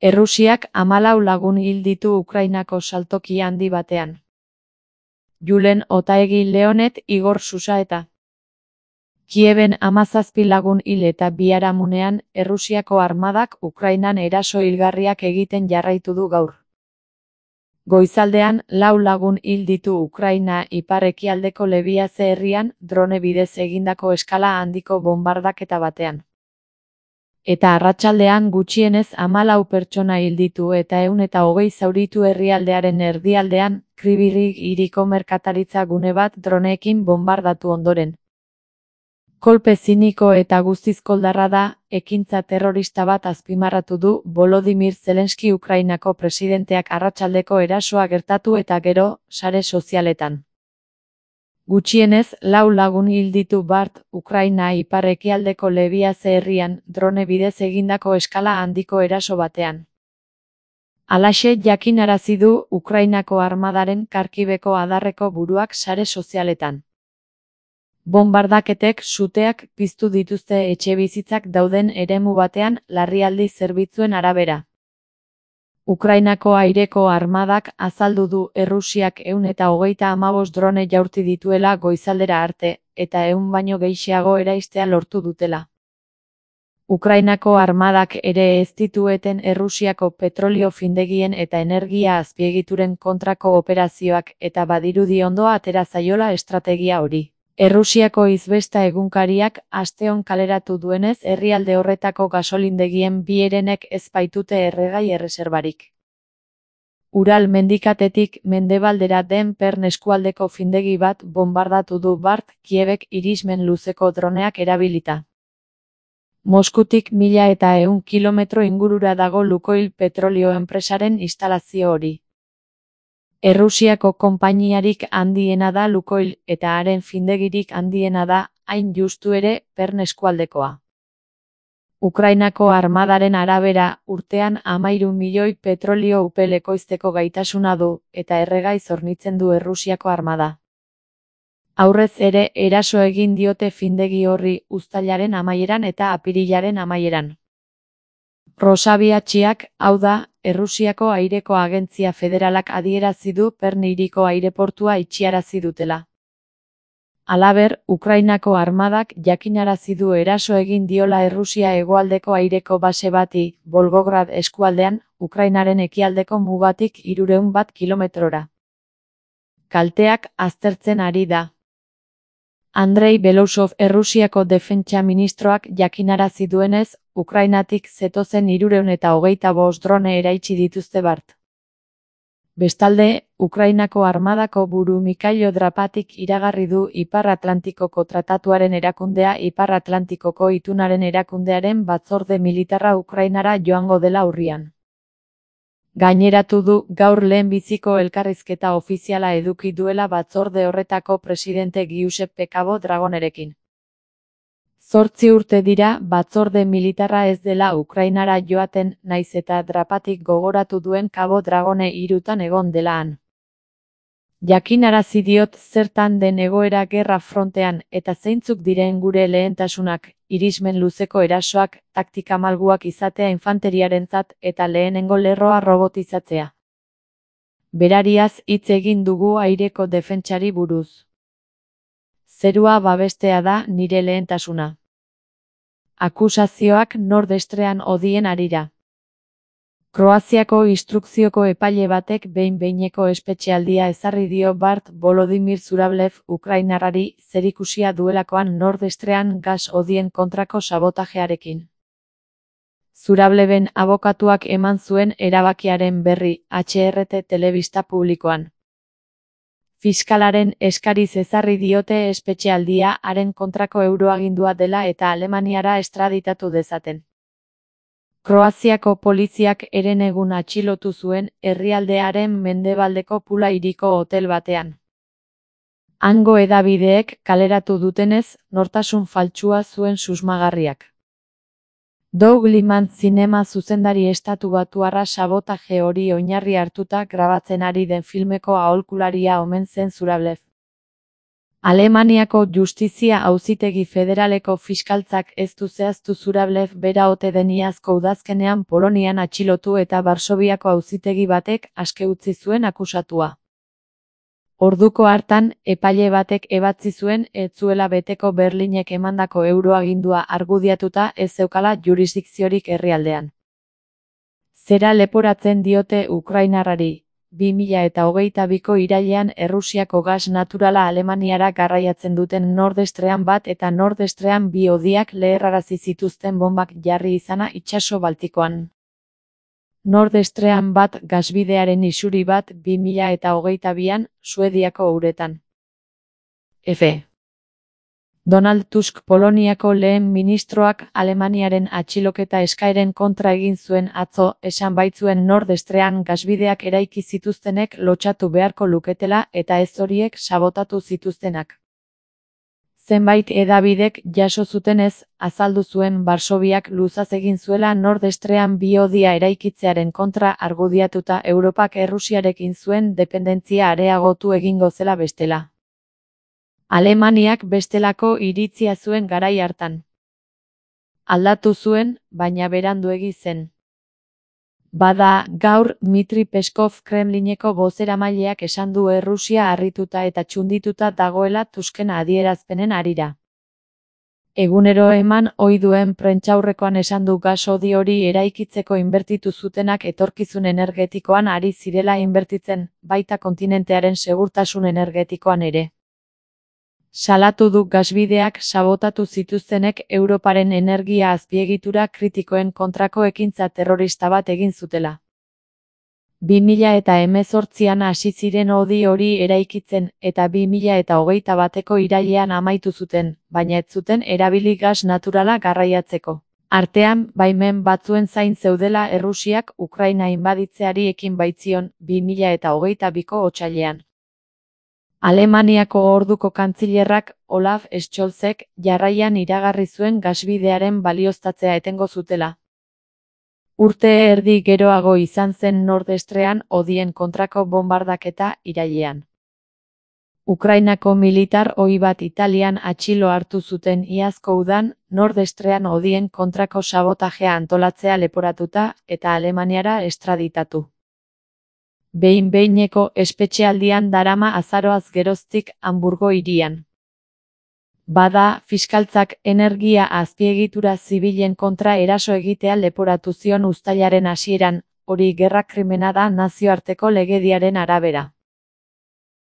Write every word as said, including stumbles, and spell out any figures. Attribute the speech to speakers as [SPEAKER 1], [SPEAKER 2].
[SPEAKER 1] Errusiak hamalau lagun hil ditu Ukrainako saltoki handi batean. Julen Otaegi Leonet Igor Susa eta Kieben hamazazpi lagun hil eta biharamunean Errusiako armadak Ukrainan eraso hilgarriak egiten jarraitu du gaur. Goizaldean lau lagun hil ditu Ukraina ipar-ekialdeko Lebiaze herrian drone bidez egindako eskala handiko bonbardaketa batean. Eta arratsaldean gutxienez hamalau pertsona hil ditu eta ehun eta hogei zauritu herrialdearen erdialdean Kryvyi hiriko merkataritza gune bat droneekin bonbardatu ondoren. Kolpe ziniko eta guztiz koldarra da, ekintza terrorista bat azpimarratu du Volodymyr Zelenski Ukrainako presidenteak arratsaldeko erasoa gertatu eta gero, sare sozialetan. Gutxienez, lau lagun hil ditu bart, Ukraina ipar-ekialdeko Lebiaze herrian drone bidez egindako eskala handiko eraso batean. Halaxe jakinarazi du Ukrainako armadaren Kharkiveko adarreko buruak sare sozialetan. Bonbardaketek suteak piztu dituzte etxebizitzak dauden eremu batean larrialdi zerbitzuen arabera. Ukrainako aireko armadak azaldu du Errusiak ehun eta hogeita hamabost drone jaurti dituela goizaldera arte, eta ehun baino gehiago eraistea lortu dutela. Ukrainako armadak ere ez ditueten Errusiako petrolio findegien eta energia azpiegituren kontrako operazioak eta badirudi ondo atera zaiola estrategia hori. Errusiako izbesta egunkariak asteon kaleratu duenez herrialde horretako gasolindegien bi herenek ez baitute erregai erreserbarik. Ural mendikatetik mendebaldera den Pern eskualdeko findegi bat bonbardatu du bart Kiebek irismen luzeko droneak erabilita. Moskutik mila eta ehun kilometro ingurura dago Lukoil petrolio enpresaren instalazio hori. Errusiako konpainiarik handiena da Lukoil eta haren findegirik handiena da, hain justu ere, Pern eskualdekoa. Ukrainako armadaren arabera, urtean hamahiru milioi petrolio upel ekoizteko gaitasuna du, eta erregai hornitzen du Errusiako armada. Aurrez ere, eraso egin diote findegi horri uztailaren amaieran eta apirilaren amaieran. Rosabiatxiak, hau da, Errusiako aireko agentzia federalak adierazi du Pern hiriko aireportua itxiarazi dutela. Halaber, Ukrainako armadak jakinarazi du eraso egin diola Errusia hegoaldeko aireko base bati, Volgograd eskualdean, Ukrainaren ekialdeko mugatik hirurehun bat kilometrora. Kalteak aztertzen ari da. Andrei Belousov Errusiako defentsa ministroak jakinarazi duenez, Ukrainatik zetozen hirurehun eta hogeita bost drone eraitsi dituzte bart. Bestalde, Ukrainako armadako buru Mikhailo Drapatik iragarri du Ipar Atlantikoko Tratatuaren erakundea Ipar Atlantikoko Itunaren erakundearen batzorde militarra Ukrainara joango dela urrian. Gaineratu du gaur lehenbiziko elkarrizketa ofiziala eduki duela batzorde horretako presidente Giuseppe Cabo Dragonerekin. Zortzi urte dira batzorde militarra ez dela Ukrainara joaten naiz eta Drapatik gogoratu duen Cabo Dragone hirutan egon dela han. Jakinarazi diot zertan den egoera gerra frontean eta zeintzuk diren gure lehentasunak, irismen luzeko erasoak, taktika malguak izatea infanteriarentzat eta lehenengo lerroa robotizatzea. Berariaz hitz egin dugu aireko defentsari buruz. Zerua babestea da nire lehentasuna. Akusazioak Nordestrean hodien harira. Kroaziako instrukzioko epaile batek behin-behineko espetxealdia ezarri dio bart Volodymyr Zurablev Ukrainarrari zerikusia duelakoan Nordestrean gas hodien kontrako sabotajearekin. Zurableben abokatuak eman zuen erabakiaren berri H R T telebista publikoan. Fiskalaren eskariz ezarri diote espetxealdia haren kontrako euroagindua dela eta Alemaniara estraditatu dezaten. Kroaziako poliziak herenegun atxilotu zuen herrialdearen mendebaldeko Pula hiriko hotel batean. Hango hedabideek kaleratu dutenez, nortasun faltsua zuen susmagarriak. Doug Liman zinema zuzendari estatubatuarra sabotaje hori oinarri hartuta grabatzen ari den filmeko aholkularia omen zen Zurablev. Alemaniako Justizia Auzitegi Federaleko fiskaltzak ez du zehaztu Zurablev bera ote den iazko udazkenean Polonian atxilotu eta Varsoviako auzitegi batek aske utzi zuen akusatua. Orduko hartan, epaile batek ebatzi zuen ez zuela beteko Berlinek emandako euroagindua argudiatuta ez zeukala jurisdikziorik herrialdean. Zera leporatzen diote ukrainarrari, bi mila hogeita biko irailean Errusiako gas naturala Alemaniara garraiatzen duten Nord Stream bat eta Nord Stream bi hodiak leherrarazi zituzten bombak jarri izana itsaso Baltikoan. Nord Stream bat gasbidearen isuri bat bi mila hogeita bian Suediako uretan. F. Donald Tusk Poloniako lehen ministroak Alemaniaren atxiloketa eskaeren kontra egin zuen atzo, esan baitzuen Nord Stream gasbideak eraiki zituztenek lotsatu beharko luketela eta ez horiek sabotatu zituztenak. Zenbait hedabidek jaso zutenez, azaldu zuen Varsoviak luzaz egin zuela Nord Stream bi hodia eraikitzearen kontra argudiatuta Europak Errusiarekin zuen dependentzia areagotu egingo zela bestela. Alemaniak bestelako iritzia zuen garai hartan. Aldatu zuen, baina beranduegi zen. Bada, gaur, Dmitri Peskov Kremlineko bozeramaileak esan du Errusia harrituta eta txundituta dagoela Tusken adierazpenen harira. Egunero eman ohi duen prentsaurrekoan esan du gas hodi hori eraikitzeko inbertitu zutenak etorkizun energetikoan ari zirela inbertitzen, baita kontinentearen segurtasun energetikoan ere. Salatu du gasbideak sabotatu zituztenek Europaren energia azpiegitura kritikoen kontrako ekintza terrorista bat egin zutela. bi mila hemezortzian hasi ziren hodi hori eraikitzen eta bi mila hogeita bateko irailean amaitu zuten, baina ez zuten erabili gas naturala garraiatzeko. Artean, baimen batzuen zain zeudela Errusiak Ukraina inbaditzeari ekin baitzion bi mila hogeita biko otsailean. Alemaniako orduko kantzilerrak Olaf Scholzek jarraian iragarri zuen gasbidearen balioztatzea etengo zutela. Urte erdi geroago izan zen Nord Stream hodien kontrako bombardaketa irailean. Ukrainako militar ohi bat Italian atxilo hartu zuten iazko udan Nord Stream hodien kontrako sabotajea antolatzea leporatuta eta Alemaniara estraditatu. Behin-behineko espetxealdian darama azaroaz geroztik Hamburgo hirian. Bada, fiskaltzak energia azpiegitura zibilen kontra eraso egitea leporatu zion uztailaren hasieran, hori gerra krimena da nazioarteko legediaren arabera.